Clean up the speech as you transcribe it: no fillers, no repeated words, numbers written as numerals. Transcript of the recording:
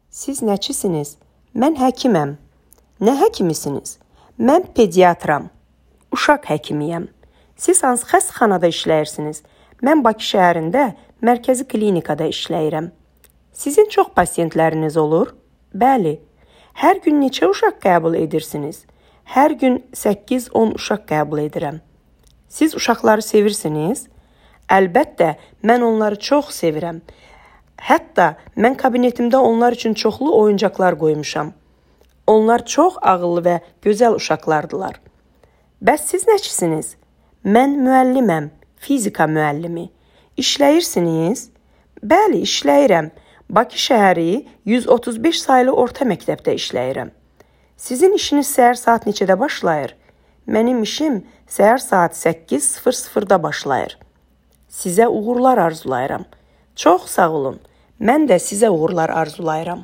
Siz nəçisiniz? Mən həkiməm. Nə həkimisiniz? Mən pediatram. Uşaq həkimiyəm. Siz hansı xəstəxanada işləyirsiniz? Mən Bakı şəhərində mərkəzi klinikada işləyirəm. Sizin çox pasientləriniz olur? Bəli. Hər gün neçə uşaq qəbul edirsiniz? Hər gün 8-10 uşaq qəbul edirəm. Siz uşaqları sevirsiniz? Əlbəttə, mən onları çox sevirəm. Hətta mən kabinetimdə onlar üçün çoxlu oyuncaqlar qoymuşam. Onlar çox ağıllı və gözəl uşaqlardılar. Bəs siz nəçisiniz? Mən müəlliməm, fizika müəllimi. İşləyirsiniz? Bəli, işləyirəm. Bakı şəhəri 135 saylı orta məktəbdə işləyirəm. Sizin işiniz səhər saat neçədə başlayır? Mənim işim səhər saat 8:00-da başlayır. Sizə uğurlar arzulayıram. Çox sağ olun. Mən də sizə uğurlar arzulayıram.